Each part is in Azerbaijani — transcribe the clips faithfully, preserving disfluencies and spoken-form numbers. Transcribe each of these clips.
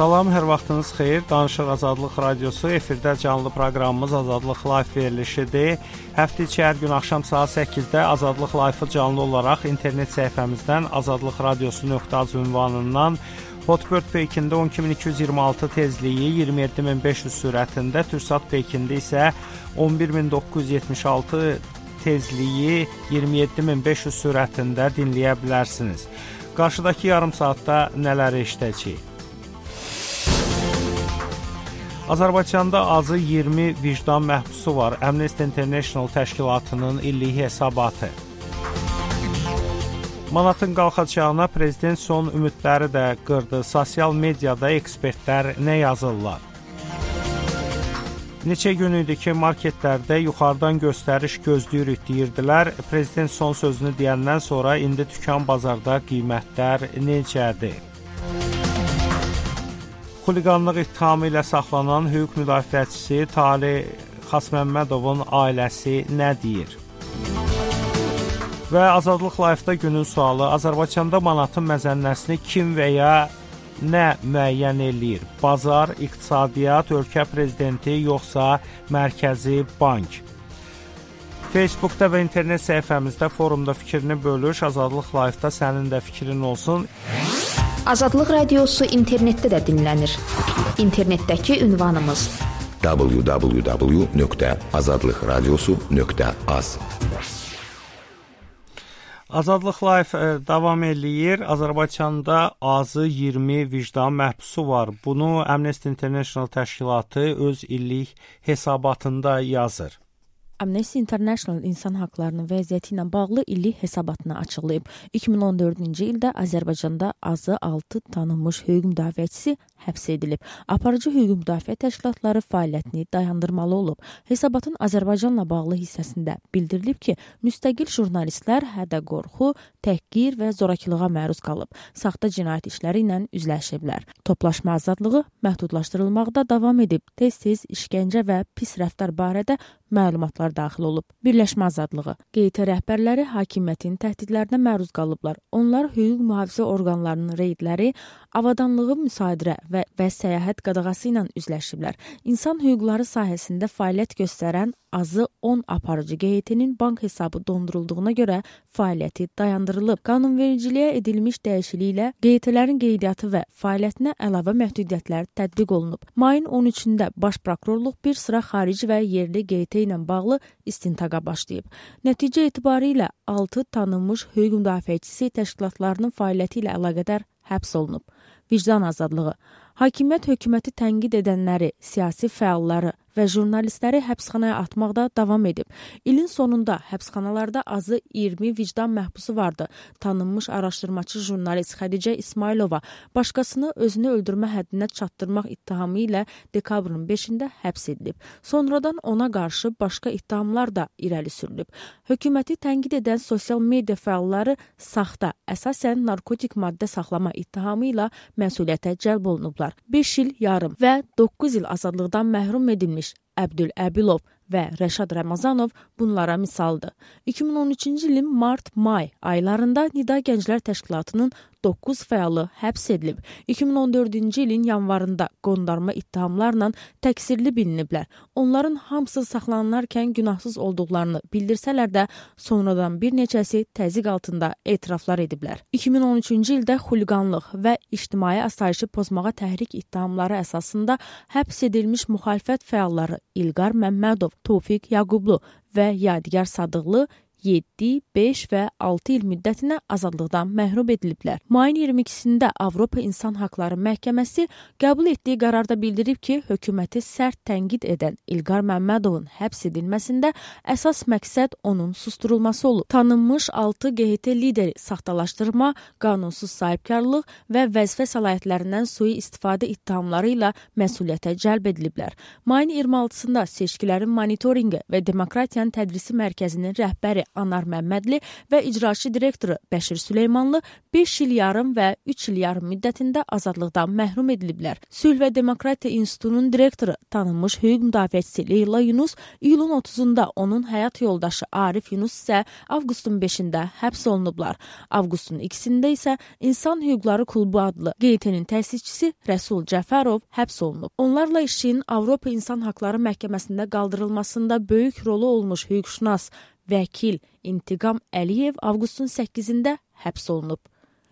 Salam, hər vaxtınız xeyir. Danışıq Azadlıq Radiosu, efirdə canlı proqramımız Azadlıq Live verilişidir. Həftə içi hər gün axşam saat səkkizdə Azadlıq Live-ı canlı olaraq internet səhifəmizdən azadlıq radiosu nöqtə az ünvanından Hotbird Peykində on iki min iki yüz iyirmi altı tezliyi iyirmi yeddi min beş yüz sürətində, Türksat Peykində isə on bir min doqquz yüz yetmiş altı tezliyi iyirmi yeddi min beş yüz sürətində dinləyə bilərsiniz. Qarşıdakı yarım saatda nələri eşidəcəyik? Azərbaycanda azı iyirmi vicdan məhbusu var. Amnesty International təşkilatının illik hesabatı. Manatın qalxacağına prezident son ümidləri də qırdı. Sosial mediada ekspertlər nə yazırlar? Neçə gün idi ki, marketlərdə yuxarıdan göstəriş gözləyirik deyirdilər. Prezident son sözünü deyəndən sonra indi dükan bazarda qiymətlər necədir? Xuliqanlıq ittihamı ilə saxlanan hüquq müdafiəçisi Talih Xasməmmədovun ailəsi nə deyir? Və Azadlıq Live-da günün sualı: Azərbaycanda manatın məzənnəsini kim və ya nə müəyyən eləyir? Bazar, iqtisadiyyat, ölkə prezidenti, yoxsa Mərkəzi Bank? Facebookda və internet səhifəmizdə forumda fikrini bölüş. Azadlıq Live-da sənin də fikrin olsun. Azadlıq Radiosu internetdə də dinlənir. İnternetdəki ünvanımız w w w nöqtə azadlıq radiosu nöqtə az. Azadlıq Live davam eləyir. Azərbaycanda azı iyirmi vicdan məhbusu var. Bunu Amnesty International təşkilatı öz illik hesabatında yazır. Amnesty International insan haqlarının vəziyyəti ilə bağlı illik hesabatını açıqlayıb. iki min on dördüncü ildə Azərbaycanda azı altı tanınmış hüquq müdafiəçisi həbs edilib. Aparıcı hüquq müdafiə təşkilatları fəaliyyətini dayandırmalı olub. Hesabatın Azərbaycanla bağlı hissəsində bildirilib ki, müstəqil jurnalistlər hədə-qorxu, təhqir və zorakılığa məruz qalıb. Saxta cinayət işləri ilə üzləşiblər. Toplaşma azadlığı məhdudlaşdırılmaqda davam edib. Tez-tez işgəncə və pis rəftar barədə məlumatlar daxil olub. Birləşmə azadlığı. Q T rəhbərləri hakimiyyətin təhdidlərinə məruz qalıblar. Onlar hüquq mühafizə orqanlarının reydləri, avadanlığı müsadirə və, və səyahət qadağası ilə üzləşiblər. İnsan hüquqları sahəsində fəaliyyət göstərən azı on aparıcı Q T-nin bank hesabı dondurulduğuna görə fəaliyyəti dayandırılıb. Qanunvericiliyə edilmiş dəyişikliklə Q T-lərin qeydiyyatı və fəaliyyətinə əlavə məhdudiyyətlər tətbiq olunub. Mayın on üçündə Baş Prokurorluq bir sıra xarici və yerli Q T ilə bağlı istintaqa başlayıb. Nəticə etibarilə altı tanınmış hüquq müdafiəçisi təşkilatlarının fəaliyyəti ilə əlaqədar həbs olunub. Vicdan azadlığı. Hakimiyyət hökuməti tənqid edənləri, siyasi fəalları və jurnalistləri həbsxanaya atmaqda davam edib. İlin sonunda həbsxanalarda azı iyirmi vicdan məhbusu vardı. Tanınmış araşdırmaçı jurnalist Xədicə İsmailova başqasını özünü öldürmə həddinə çatdırmaq ittihamı ilə dekabrın beşində həbs edilib. Sonradan ona qarşı başqa ittihamlar da irəli sürülüb. Hökuməti tənqid edən sosial media fəalları saxta, əsasən narkotik maddə saxlama ittihamı ilə məsuliyyətə cəlb olunublar. beş il yarım və doqquz il azadlıqdan məhrum edilmiş Əbdül Əbilov və Rəşad Ramazanov bunlara misaldır. iki min on üçüncü ilin mart-may aylarında Nida Gənclər Təşkilatının doqquz fəalı həbs edilib. iki min on dördüncü ilin yanvarında qondarma ittihamlarla təqsirli biliniblər. Onların hamısı saxlanılarkən günahsız olduqlarını bildirsələr də sonradan bir neçəsi təzyiq altında etiraflar ediblər. iki min on üçüncü ildə xuliqanlıq və ictimai asayişi pozmağa təhrik ittihamları əsasında həbs edilmiş müxalifət fəalları İlqar Məmmədov, Tofiq Yaqublu və Yadigar Sadıqlı yeddi, beş və altı il müddətinə azadlıqdan məhrum ediliblər. Mayın iyirmi ikisində Avropa İnsan Haqları Məhkəməsi qəbul etdiyi qərarda bildirib ki, hökuməti sərt tənqid edən İlqar Məmmədovun həbs edilməsində əsas məqsəd onun susturulması olub. Tanınmış altı Q T lideri saxtalaşdırma, qanunsuz sahibkarlıq və vəzifə səlahiyyətlərindən sui-istifadə ittihamları ilə məsuliyyətə cəlb ediliblər. Mayın iyirmi altısında seçkilərin monitorinqi və demokratiyanın tədrisi mərkəzinin rəhbəri Anar Məmmədli və icraçı direktoru Bəşir Süleymanlı beş il yarım və üç il yarım müddətində azadlıqdan məhrum ediliblər. Sülh və Demokratiya İnstitutunun direktoru tanınmış hüquq müdafiəçisi Leyla Yunus iyulun otuzunda, onun həyat yoldaşı Arif Yunus isə avqustun beşində həbs olunublar. Avqustun ikisində isə İnsan Hüquqları Klubu adlı Q T N-in təsisçisi Rəsul Cəfərov həbs olunub. Onlarla işin Avropa İnsan Haqları Məhkəməsində qaldırılmasında böyük rolu olmuş hüquqşünas vəkil İntiqam Əliyev avqustun səkkizində həbs olunub.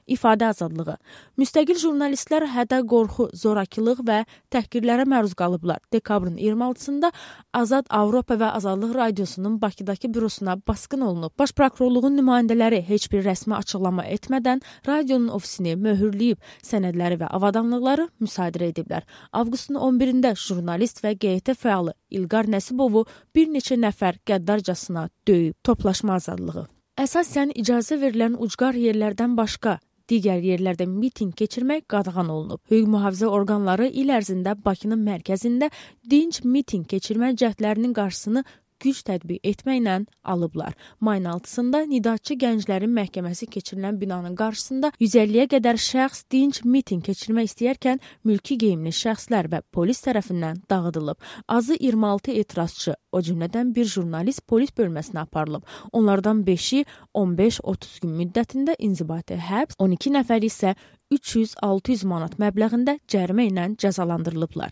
İfadə azadlığı. Müstəqil jurnalistlər hədə qorxu, zorakılıq və təhqirlərə məruz qalıblar. Dekabrın iyirmi altısında Azad Avropa və Azadlıq Radiosunun Bakıdakı bürosuna basqın olunub. Baş prokurorluğun nümayəndələri heç bir rəsmi açıqlama etmədən radionun ofisini möhürləyib, sənədləri və avadanlıqları müsadirə ediblər. Avqustun on birində jurnalist və Q T fəalı İlqar Nəsibovu bir neçə nəfər qəddarcasına döyüb. Toplaşma azadlığı. Əsasən icazə verilən ucqar yerlərdən başqa digər yerlərdə miting keçirmək qadağan olunub. Hüquq mühafizə orqanları il ərzində Bakının mərkəzində dinc miting keçirmə cəhdlərinin qarşısını güc tətbiq etməklə alıblar. Mayın altısında Nidatçı Gənclərin Məhkəməsi keçirilən binanın qarşısında yüz əlliyə qədər şəxs dinc miting keçirmək istəyərkən mülki geyimli şəxslər və polis tərəfindən dağıdılıb. Azı iyirmi altı etirazçı, o cümlədən bir jurnalist polis bölməsinə aparılıb. Onlardan beşi on beş otuz gün müddətində inzibati həbs, on iki nəfər isə üç yüz altı yüz manat məbləğində cərimə ilə cəzalandırılıblar.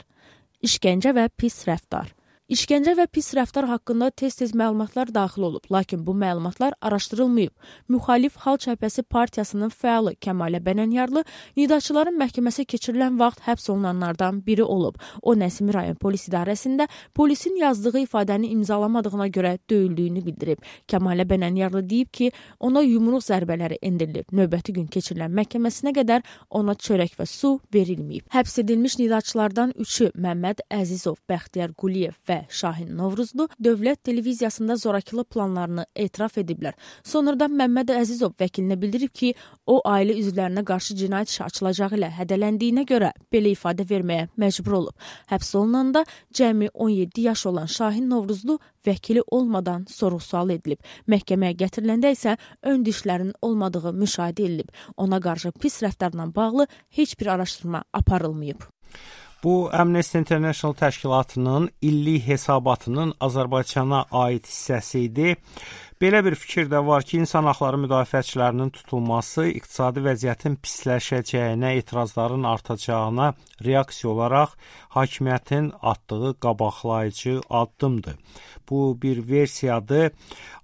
İşgəncə və pis rəftar. İşgəncə və pis rəftar haqqında tez-tez məlumatlar daxil olub, lakin bu məlumatlar araşdırılmayıb. Müxalif Xalq Cəbhəsi Partiyasının fəalı Kəmalə Bənənyarlı Nidaçıların məhkəməsi keçirilən vaxt həbs olunanlardan biri olub. O, Nəsimi rayon polis idarəsində polisin yazdığı ifadəni imzalamadığına görə döyüldüyünü bildirib. Kəmalə Bənənyarlı deyib ki, ona yumruq zərbələri endirilib. Növbəti gün keçirilən məhkəməsinə qədər ona çörək və su verilməyib. Həbs edilmiş Nidaçılardan üçü Məmməd Əzizov, Bəxtiyar Quliyev və Şahin Novruzlu dövlət televiziyasında zorakılıq planlarını etiraf ediblər. Sonradan Məmməd Əzizov vəkilinə bildirib ki, o ailə üzvlərinə qarşı cinayət işi açılacağı ilə hədələndiyinə görə belə ifadə verməyə məcbur olub. Həbs olunanda cəmi on yeddi yaş olan Şahin Novruzlu vəkili olmadan sorğu-sual edilib. Məhkəməyə gətiriləndə isə ön dişlərin olmadığı müşahidə edilib. Ona qarşı pis rəftarla bağlı heç bir araşdırma aparılmayıb. Bu, Amnesty International təşkilatının illik hesabatının Azərbaycana aid hissəsi idi. Belə bir fikir də var ki, insan haqları müdafiəçilərinin tutulması iqtisadi vəziyyətin pisləşəcəyinə, etirazların artacağına reaksiya olaraq hakimiyyətin atdığı qabaqlayıcı addımdır. Bu bir versiyadır.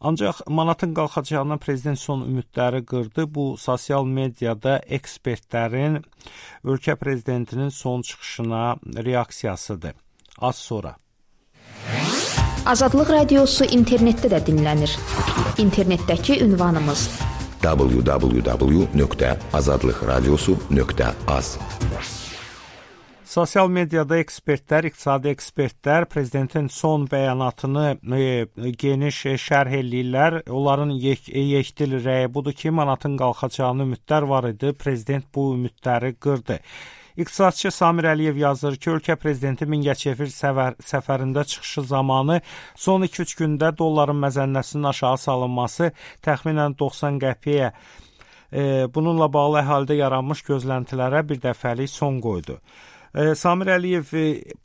Ancaq manatın qalxacağına prezident son ümidləri qırdı. Bu, sosial mediada ekspertlərin ölkə prezidentinin son çıxışına reaksiyasıdır. Az sonra. Azadlıq Radiosu internetdə də dinlənir. İnternetdəki ünvanımız w w w nöqtə azadlıq radiosu nöqtə az. Sosial mediada ekspertlər, iqtisadi ekspertlər prezidentin son bəyanatını e, geniş şərh eləyirlər. Onların yek, yekdil rəyi budur ki, manatın qalxacağını ümidlər var idi. Prezident bu ümidləri qırdı. İqtisadçı Samir Əliyev yazır ki, ölkə prezidenti Mingəçevir səfər, səfərində çıxışı zamanı son iki üç gündə dolların məzənnəsinin aşağı salınması təxminən doxsan qəpiyə e, bununla bağlı əhalidə yaranmış gözləntilərə bir dəfəlik son qoydu. Samir Əliyev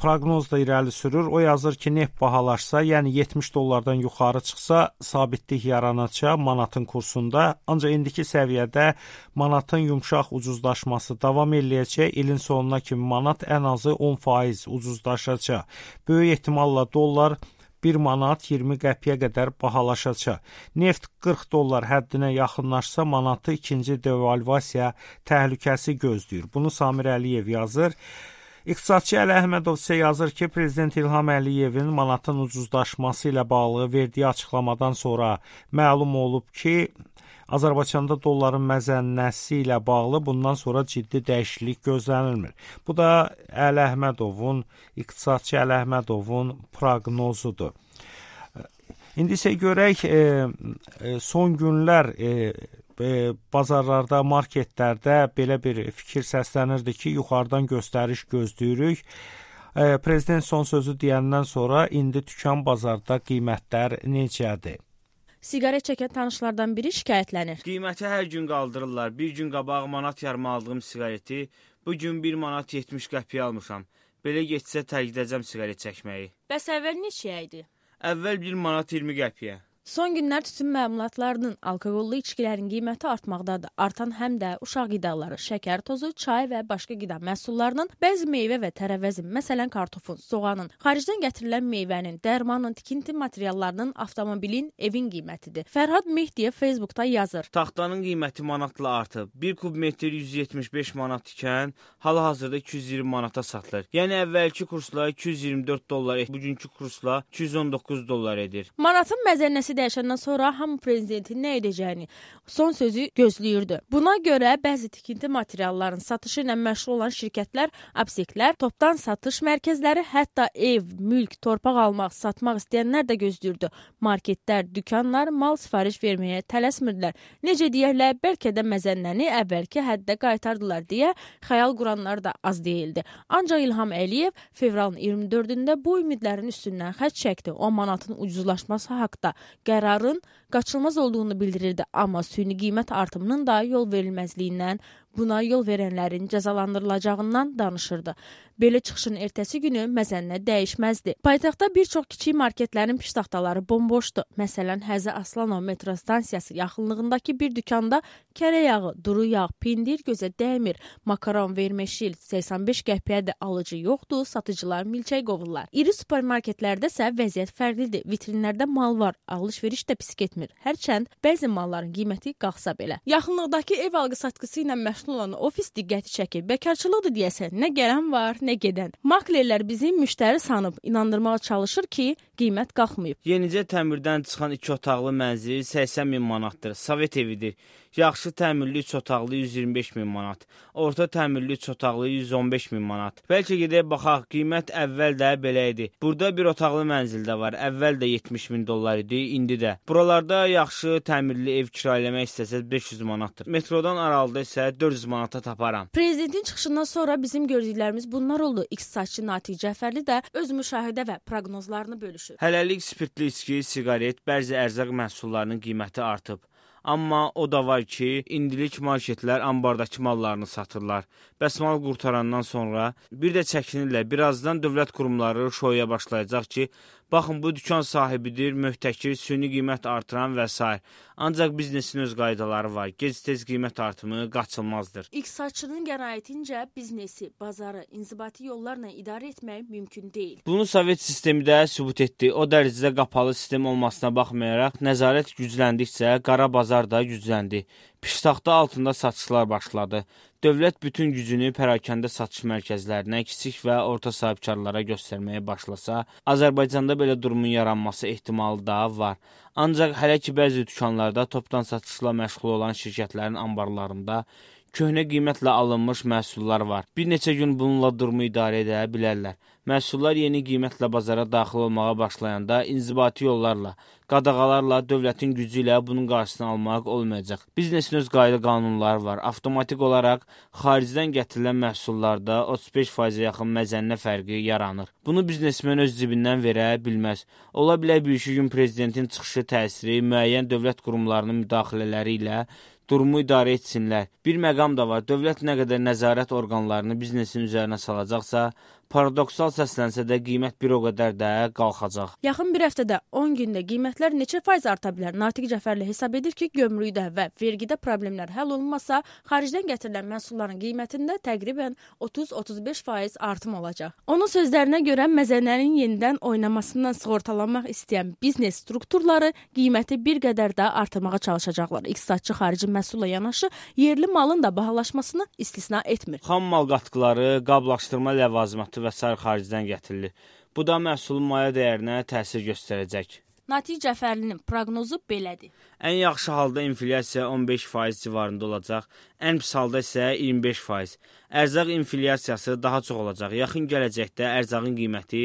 proqnoz da irəli sürür. O yazır ki, neft bahalaşsa, yəni yetmiş dollardan yuxarı çıxsa, sabitlik yaranacaq manatın kursunda. Ancaq indiki səviyyədə manatın yumşaq ucuzlaşması davam eləyəcək. İlin sonuna kimi manat ən azı on faiz ucuzlaşacaq. Böyük ehtimalla dollar bir manat iyirmi qəpiyə qədər bahalaşacaq. Neft qırx dollar həddinə yaxınlaşsa, manatı ikinci devalvasiya təhlükəsi gözləyir. Bunu Samir Əliyev yazır. İqtisadçı Əli Əhmədov isə yazır ki, Prezident İlham Əliyevin manatın ucuzlaşması ilə bağlı verdiyi açıqlamadan sonra məlum olub ki, Azərbaycanda dolların məzənnəsi ilə bağlı bundan sonra ciddi dəyişiklik gözlənilmir. Bu da Əli Əhmədovun, iqtisadçı Əli Əhmədovun proqnozudur. İndi isə görək, e, son günlər e, e, bazarlarda, marketlərdə belə bir fikir səslənirdi ki, yuxarıdan göstəriş gözləyirik. E, Prezident son sözü deyəndən sonra indi tükan bazarda qiymətlər necədir? Siqaret çəkən tanışlardan biri şikayətlənir. Qiyməti hər gün qaldırırlar. Bir gün qabaq manat yarım aldığım siqareti bu gün bir manat yetmiş qəpiyə almışam. Belə getsə tərk edəcəm siqaret çəkməyi. Bəs əvvəl neçəyə idi? Əvvəl bir manat iyirmi qəpiyə. Son günlər tütün məmulatlarının alkoqollu içkilərin qiyməti artmaqdadır. Artan həm də uşaq qidaları, şəkər tozu, çay və başqa qida məhsullarının, bəzi meyvə və tərəvəzin, məsələn kartofun, soğanın, xaricdən gətirilən meyvənin, dərmanın, tikinti materiallarının, avtomobilin, evin qiymətidir. Fərhad Mehdiyev Facebookda yazır. Taxtanın qiyməti manatla artıb. bir kub metr yüz yetmiş beş manat ikən, hal-hazırda iki yüz iyirmi manata satılır. Yəni əvvəlki kursla iki yüz iyirmi dörd dollar, bugünkü kursla iki yüz on doqquz dollar edir. Manatın məzənnəsi dəyişəndən sonra hamı prezidentin nə edəcəyini son sözü gözləyirdi. Buna görə bəzi tikinti materiallarının satışı ilə məşğul olan şirkətlər, apteklər, topdan satış mərkəzləri, hətta ev, mülk, torpaq almaq, satmaq istəyənlər də gözləyirdi. Marketlər, dükanlar mal sifariş verməyə tələsmirdilər. Necə deyərlər, bəlkə də məzənnəni əvvəlki həddə qaytardılar deyə xəyal quranlar da az deyildi. Ancaq İlham Əliyev fevralın iyirmi dördündə bu ümidlərin üstündən xətt çəkdi. O manatın ucuzlaşması haqda qərarın qaçılmaz olduğunu bildirirdi, amma süni qiymət artımının da yol verilməzliyindən, buna yol verənlərin cəzalandırılacağından danışırdı. Belə çıxışın ertəsi günü məzənnə dəyişməzdi. Paytaxtda bir çox kiçik marketlərin piştaxtaları bomboşdu. Məsələn, Həzə Aslanov metro stansiyası yaxınlığındakı bir dükanda kərə yağı, duru yağ, pendir gözə dəymir, makaron, vermeşil səksən beş qəpiyə də alıcı yoxdur, satıcılar milçək qovurlar. İri supermarketlərdə isə vəziyyət fərqlidir. Vitrinlərdə mal var, alış-veriş də pis getmir. Hərçənd bəzi malların qiyməti qalxsa belə. Yaxınlıqdakı ev alqı-satqısı ilə məşğul olan ofis diqqəti çəkir. Bəkarçılıqdır deyəsən, nə gələn var, nə gedən. Maklerlər bizi müştəri sanıb inandırmağa çalışır ki, qiymət qalxmayıb. Yenicə təmirdən çıxan iki otaqlı mənzil səksən min manatdır. Sovet evidir. Yaxşı təmirli üç otaqlı yüz iyirmi beş min manat. Orta təmirli üç otaqlı yüz on beş min manat. Bəlkə gedək baxaq, qiymət əvvəl də belə idi. Burada bir otaqlı mənzil də var. Əvvəl də yetmiş min dollar idi, indi də. Buralarda yaxşı təmirli ev kirayələmək istəsəz beş yüz manatdır. Metrodan aralıda isə dörd yüz manata taparam. Prezidentin çıxışından sonra bizim gördüklərimiz bunlar oldu. İqtisadçı Natiq Cəfərli də öz müşahidə və proqnozlarını bölüşür. Hələlik spirtli içki, siqaret, bəzi ərzaq məhsullarının qiyməti artıb. Amma o da var ki, indilik marketlər ambardakı mallarını satırlar. Bəs mal qurtarandan sonra bir də çəkinirlər. Birazdan dövlət qurumları şoya başlayacaq ki, baxın bu dükan sahibidir, möhtəkir, süni qiymət artıran və s. Ancaq biznesin öz qaydaları var. Gec-tez qiymət artımı qaçılmazdır. İqtisadçının qənaətincə biznesi, bazarı inzibati yollarla idarə etmək mümkün deyil. Bunu Sovet sistemi də sübut etdi. O dərəcədə qapalı sistem olmasına baxmayaraq, nəzarət gücləndikcə qara bazar da gücləndi. Piştaxta altında satışlar başladı. Dövlət bütün gücünü pərakəndə satış mərkəzlərinə, kiçik və orta sahibkarlara göstərməyə başlasa, Azərbaycanda belə durumun yaranması ehtimalı da var. Ancaq hələ ki bəzi dükanlarda topdan satışla məşğul olan şirkətlərin anbarlarında köhnə qiymətlə alınmış məhsullar var. Bir neçə gün bununla durumu idarə edə bilərlər. Məhsullar yeni qiymətlə bazara daxil olmağa başlayanda inzibati yollarla, qadağalarla, dövlətin gücü ilə bunun qarşısını almaq olmayacaq. Biznesin öz qayda qanunları var. Avtomatik olaraq xaricdən gətirilən məhsullarda otuz beş faizə yaxın məzənnə fərqi yaranır. Bunu biznesmen öz cibindən verə bilməz. Ola bilər bir iki gün prezidentin çıxışı təsiri müəyyən dövlət qurumlarının müdaxilələri ilə durumu idarə etsinlər. Bir məqam da var. Dövlət nə qədər nəzarət orqanlarını biznesin üzərinə salacaqsa, paradoksal səslənsə də qiymət bir o qədər də qalxacaq. Yaxın bir həftədə on gündə qiymətlər neçə faiz arta bilər? Natiq Cəfərli hesab edir ki, gömrükdə və vergidə problemlər həll olunmasa, xaricdən gətirilən məhsulların qiymətində təqribən otuz otuz beş faiz artım olacaq. Onun sözlərinə görə məzənnənin yenidən oynamasından sığortalanmaq istəyən biznes strukturları qiyməti bir qədər də artırmağa çalışacaqlar. İqtisadçı xarici məhsulla yanaşı yerli malın da bahalaşmasını istisna etmir. Xam mal qatqıları, qablaşdırma ləvazimatı və s. xaricdən gətirilir. Bu da məhsulun maya dəyərinə təsir göstərəcək. Natiq Cəfərlinin proqnozu belədir. Ən yaxşı halda inflyasiya on beş faiz civarında olacaq, ən pis halda isə iyirmi beş faiz. Ərzaq inflyasiyası daha çox olacaq. Yaxın gələcəkdə ərzağın qiyməti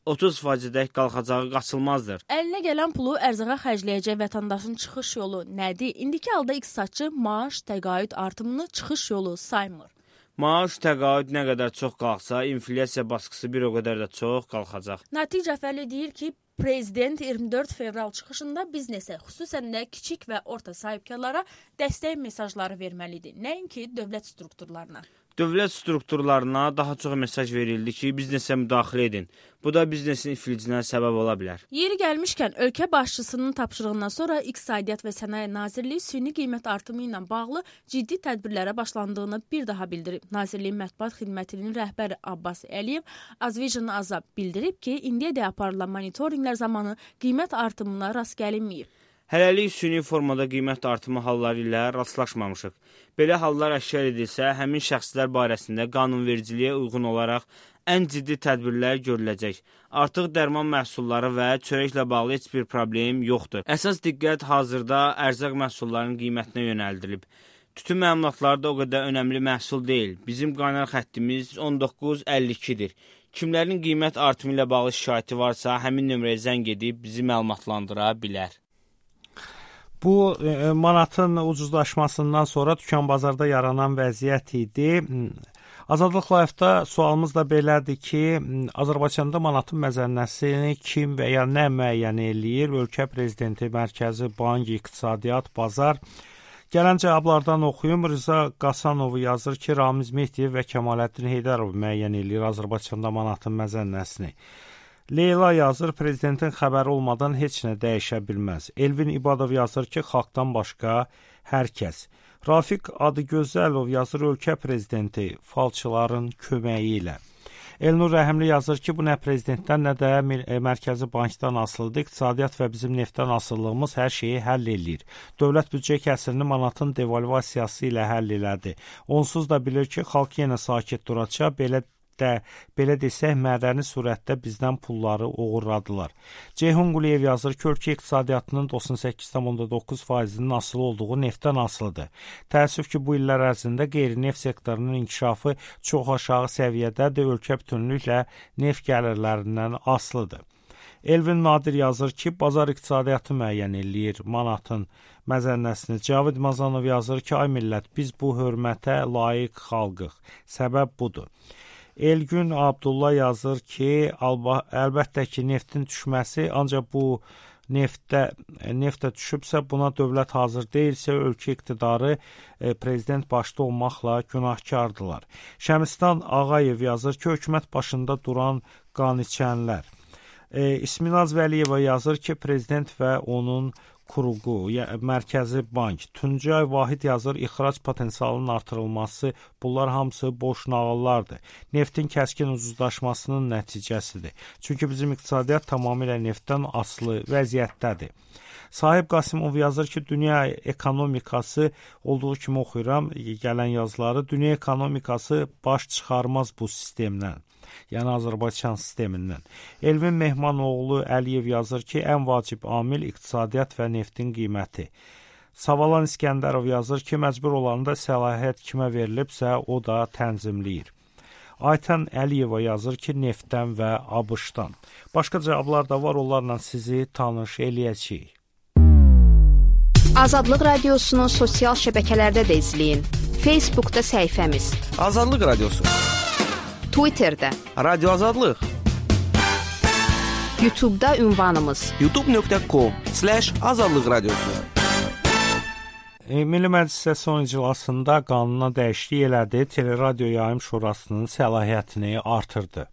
otuz faizədək qalxacağı qaçılmazdır. Əlinə gələn pulu ərzağa xərcləyəcək vətəndaşın çıxış yolu nədir? İndiki halda iqtisadçı maaş, təqaüd artımını çıxış yolu saymır. Maaş təqaüd nə qədər çox qalxsa, inflyasiya baskısı bir o qədər də çox qalxacaq. Natiq Cəfərli deyir ki, Prezident iyirmi dörd fevral çıxışında biznesə, xüsusən də kiçik və orta sahibkarlara dəstək mesajları verməlidir, nəinki dövlət strukturlarına. Dövlət strukturlarına daha çox mesaj verildi ki, biznesə müdaxilə edin. Bu da biznesin iflicinə səbəb ola bilər. Yeri gəlmişkən, ölkə başçısının tapşırığından sonra İqtisadiyyat və Sənaye Nazirliyi süni qiymət artımı ilə bağlı ciddi tədbirlərə başlandığını bir daha bildirib. Nazirliyin mətbuat xidmətinin rəhbəri Abbas Əliyev Azvijan Azab bildirib ki, indiyədək aparılan monitorinqlər zamanı qiymət artımına rast gəlinməyib. Hələlik süni formada qiymət artımı halları ilə rastlaşmamışıq. Belə hallar əşkar edilsə, həmin şəxslər barəsində qanunvericiliyə uyğun olaraq ən ciddi tədbirlər görüləcək. Artıq dərman məhsulları və çörəklə bağlı heç bir problem yoxdur. Əsas diqqət hazırda ərzaq məhsullarının qiymətinə yönəldilib. Tütün məmulatları da o qədər önəmli məhsul deyil. Bizim qaynar xəttimiz on doqquz əlli ikidir. Kimlərin qiymət artımı ilə bağlı şikayəti varsa, həmin nömrəyə zəng edib bizi məlumatlandıra bilər. Bu e, manatın ucuzlaşmasından sonra dükan bazarda yaranan vəziyyət idi. Azadlıq Live-da sualımız da belədir ki, Azərbaycanda manatın məzənnəsini kim və ya nə müəyyən eləyir? Ölkə prezidenti, Mərkəzi Bank, İqtisadiyyat, Bazar. Gələn cavablardan oxuyum. Rıza Qasanov yazır ki, Ramiz Mehdiyev və Kəmaləddin Heydərov müəyyən eləyir Azərbaycanda manatın məzənnəsini. Leyla yazır, prezidentin xəbəri olmadan heç nə dəyişə bilməz. Elvin İbadov yazır ki, xalqdan başqa hər kəs. Rafiq Adıgözəlov yazır, ölkə prezidenti falçıların köməyi ilə. Elnur Rəhimli yazır ki, bu nə prezidentdən, nə də Mərkəzi Bankdan asılıdır. İqtisadiyyat və bizim neftdən asılılığımız hər şeyi həll eləyir. Dövlət büdcə kəsirini manatın devalvasiyası ilə həll elədi. Onsuz da bilir ki, xalq yenə sakit duracaq, belə də, belə desək, mədəni surətdə bizdən pulları oğurladılar. Ceyhun Quliyev yazır ki, ölkə iqtisadiyyatının doxsan səkkiz nöqtə doqquz faizinin asılı olduğu neftdən asılıdır. Təəssüf ki, bu illər ərzində qeyri-neft sektorunun inkişafı çox aşağı səviyyədədir, ölkə bütünlüklə neft gəlirlərindən asılıdır. Elvin Nadir yazır ki, bazar iqtisadiyyatı müəyyən eləyir manatın məzənnəsini. Cavid Mazanov yazır ki, ay millət, biz bu hörmətə layiq xalqıq. Səbəb budur. Elgün Abdullah yazır ki, əlbəttə ki, neftin düşməsi, ancaq bu neftə, neftə düşübsə, buna dövlət hazır deyilsə, ölkə iqtidarı e, prezident başda olmaqla günahkardılar. Şəmistan Ağayev yazır ki, hökumət başında duran qan içənlər. E, İsminaz Vəliyeva yazır ki, prezident və onun kuruğu, yəni Mərkəzi Bank. Tuncay Vahid yazır, ixrac potensialının artırılması, bunlar hamısı boş nağıllardır. Neftin kəskin ucuzlaşmasının nəticəsidir. Çünki bizim iqtisadiyyat tamamilə neftdən asılı vəziyyətdədir. Sahib Qasımov yazır ki, dünya ekonomikası, olduğu kimi oxuyuram gələn yazıları, dünya ekonomikası baş çıxarmaz bu sistemdən. Yəni Azərbaycan sistemindən. Elvin Mehmanoğlu Əliyev yazır ki, ən vacib amil iqtisadiyyat və neftin qiyməti. Savalan İskəndərov yazır ki, məcbur olanda səlahiyyət kimə verilibsə, o da tənzimləyir. Aytən Əliyeva yazır ki, neftdən və ABŞ-dan. Başqa cavablar da var, onlarla sizi tanış eləyəcəyik. Azadlıq Radiosunu sosial şəbəkələrdə də izləyin. Facebookda səhifəmiz Azadlıq Radiosu, Twitterdə, Radio Azadlıq, YouTube'da ünvanımız youtube nöqtə com slash azadlıq radiosu. E, Milli Məclis son iclasında qanuna dəyişiklik elədi, Teleradio Yayım Şurasının səlahiyyətini artırdı.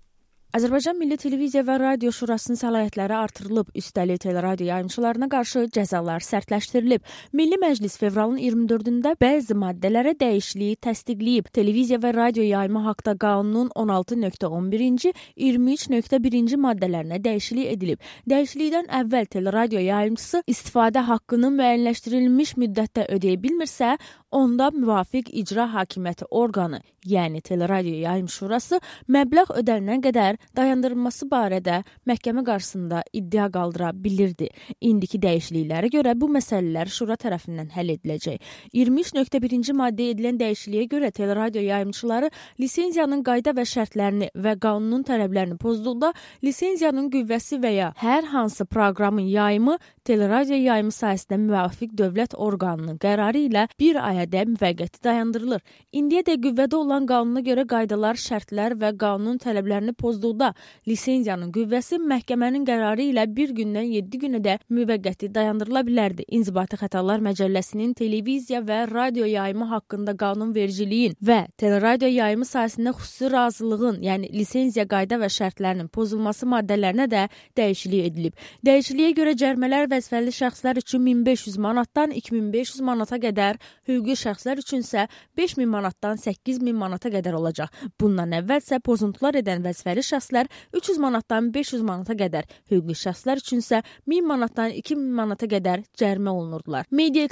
Azərbaycan Milli Televiziya və Radio Şurasının səlahiyyətləri artırılıb, üstəlik teleradio yayımçılarına qarşı cəzalar sərtləşdirilib. Milli Məclis fevralın iyirmi dördündə bəzi maddələrə dəyişikliyi təsdiqləyib. Televiziya və radio yayımı haqda qanunun on altı nöqtə on birinci, iyirmi üç nöqtə birinci maddələrinə dəyişiklik edilib. Dəyişiklikdən əvvəl teleradio yayımçısı istifadə haqqını müəyyənləşdirilmiş müddətdə ödəyə bilmirsə, onda müvafiq icra hakimiyyəti orqanı, yəni Teleradio Yayım Şurası məbləğ ödənilənə qədər dayandırılması barədə məhkəmə qarşısında iddia qaldıra bilirdi. İndiki dəyişikliklərə görə bu məsələlər şura tərəfindən həll ediləcək. iyirmi üç nöqtə birinci maddəyə edilən dəyişikliyə görə teleradio yayımçıları lisenziyanın qayda və şərtlərini və qanunun tələblərini pozduqda lisenziyanın qüvvəsi və ya hər hansı proqramın yayımı teleradio yayımı sahəsində müvafiq dövlət orqanının qərarı ilə bir ayada müvəqqəti dayandırılır. İndiyədək qüvvədə olan qanuna görə qaydalar, şərtlər və qanun tələblərini pozduqda lisenziyanın qüvvəsi məhkəmənin qərarı ilə bir gündən yeddi günədək müvəqqəti dayandırıla bilərdi. İnzibati Xətalar Məcəlləsinin televiziya və radio yayımı haqqında qanunvericiliyin və teleradio yayımı sahəsində xüsusi razılığın, yəni lisenziya qayda və şərtlərinin pozulması maddələrinə də dəyişiklik edilib. Dəyişikliyə görə cərimələr vəzifəli şəxslər üçün min beş yüz manatdan iki min beş yüz manata qədər, hüquqi şəxslər üçün isə beş min manatdan səkkiz min manata qədər olacaq. Bundan əvvəl isə pozuntular edən vəzifəli şəxslər üç yüz manatdan beş yüz manata qədər, hüquqi şəxslər üçün isə min manatdan iki min manata qədər cərimə olunurdular. Media